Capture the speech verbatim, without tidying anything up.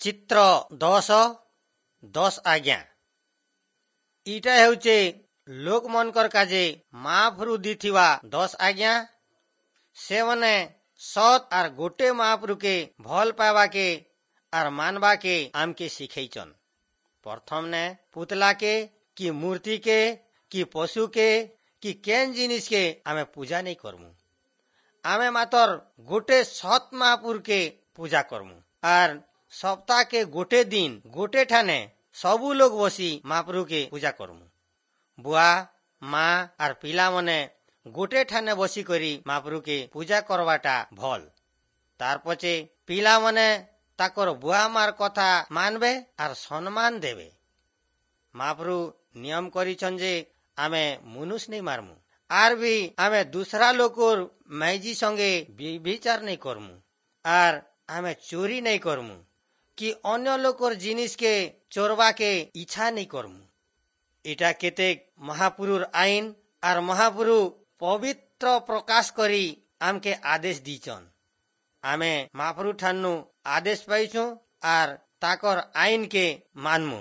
ଚିତ୍ର ଦଶ ଦଶ ଆଜ୍ଞା ଇଟା ହେଉଛେ ଲୋକମନଙ୍କର କାଜେ ମହାପ୍ରଭୁ ଦେଇଥିବା ଦଶ ଆଜ୍ଞା ସେମାନେ ସତ୍ ଆର୍ ଗୋଟେ ମହାପ୍ରଭୁକେ ଭଲ ପାଇବାକେ ଆର୍ ମାନବାକେ ଆମକେ ଶିଖେଇଛନ୍ ପ୍ରଥମନେ ପୁତଲାକେ କି ମୂର୍ତ୍ତିକେ କି ପଶୁକେ କି କେନ୍ ଜିନିଷକେ ଆମେ ପୂଜା ନେଇ କରମୁ ଆମେ ମାତର ଗୋଟେ ସତ୍ ମହାପୁରକେ ପୂଜା କରମୁ ଆର୍ ସପ୍ତାହକେ ଗୋଟେ ଦିନ ଗୋଟେ ଠାନେ ସବୁ ଲୋକ ବସି ମହାପ୍ରଭୁକେ ପୂଜା କରମୁ ବୁଆ ମା ଆର୍ ପିଲାମାନେ ଗୋଟେ ଠାନେ ବସିକରି ମହାପ୍ରଭୁକେ ପୂଜା କରବାଟା ଭଲ୍ ତାର ପଛେ ପିଲାମାନେ ତାକର ବୁଆ ମାର କଥା ମାନବେ ଆର୍ ସମ୍ମାନ ଦେବେ ମହାପ୍ରଭୁ ନିୟମ କରିଛନ୍ ଯେ ଆମେ ମନୁଷ ନେଇ ମାରମୁ ଆର୍ ବି ଆମେ ଦୁସରା ଲୋକର ମାଇଜି ସଙ୍ଗେ ବ୍ୟଭିଚାର ନେଇ କରମୁ ଆର୍ ଆମେ ଚୋରି ନେଇ କରମୁ କି ଅନ୍ୟ ଲୋକର ଜିନିଷକେ ଚୋରବାକେ ଇଚ୍ଛା ନେଇ କରମୁ ଏଟା କେତେ ମହାପୁରୁର ଆଇନ ଆର୍ ମହାପୁରୁ ପବିତ୍ର ପ୍ରକାଶ କରି ଆମକେ ଆଦେଶ ଦେଇଛନ୍ ଆମେ ମହାପ୍ରଭୁ ଠାନୁ ଆଦେଶ ପାଇଛୁ ଆର୍ ତାକର ଆଇନକେ ମାନମୁ।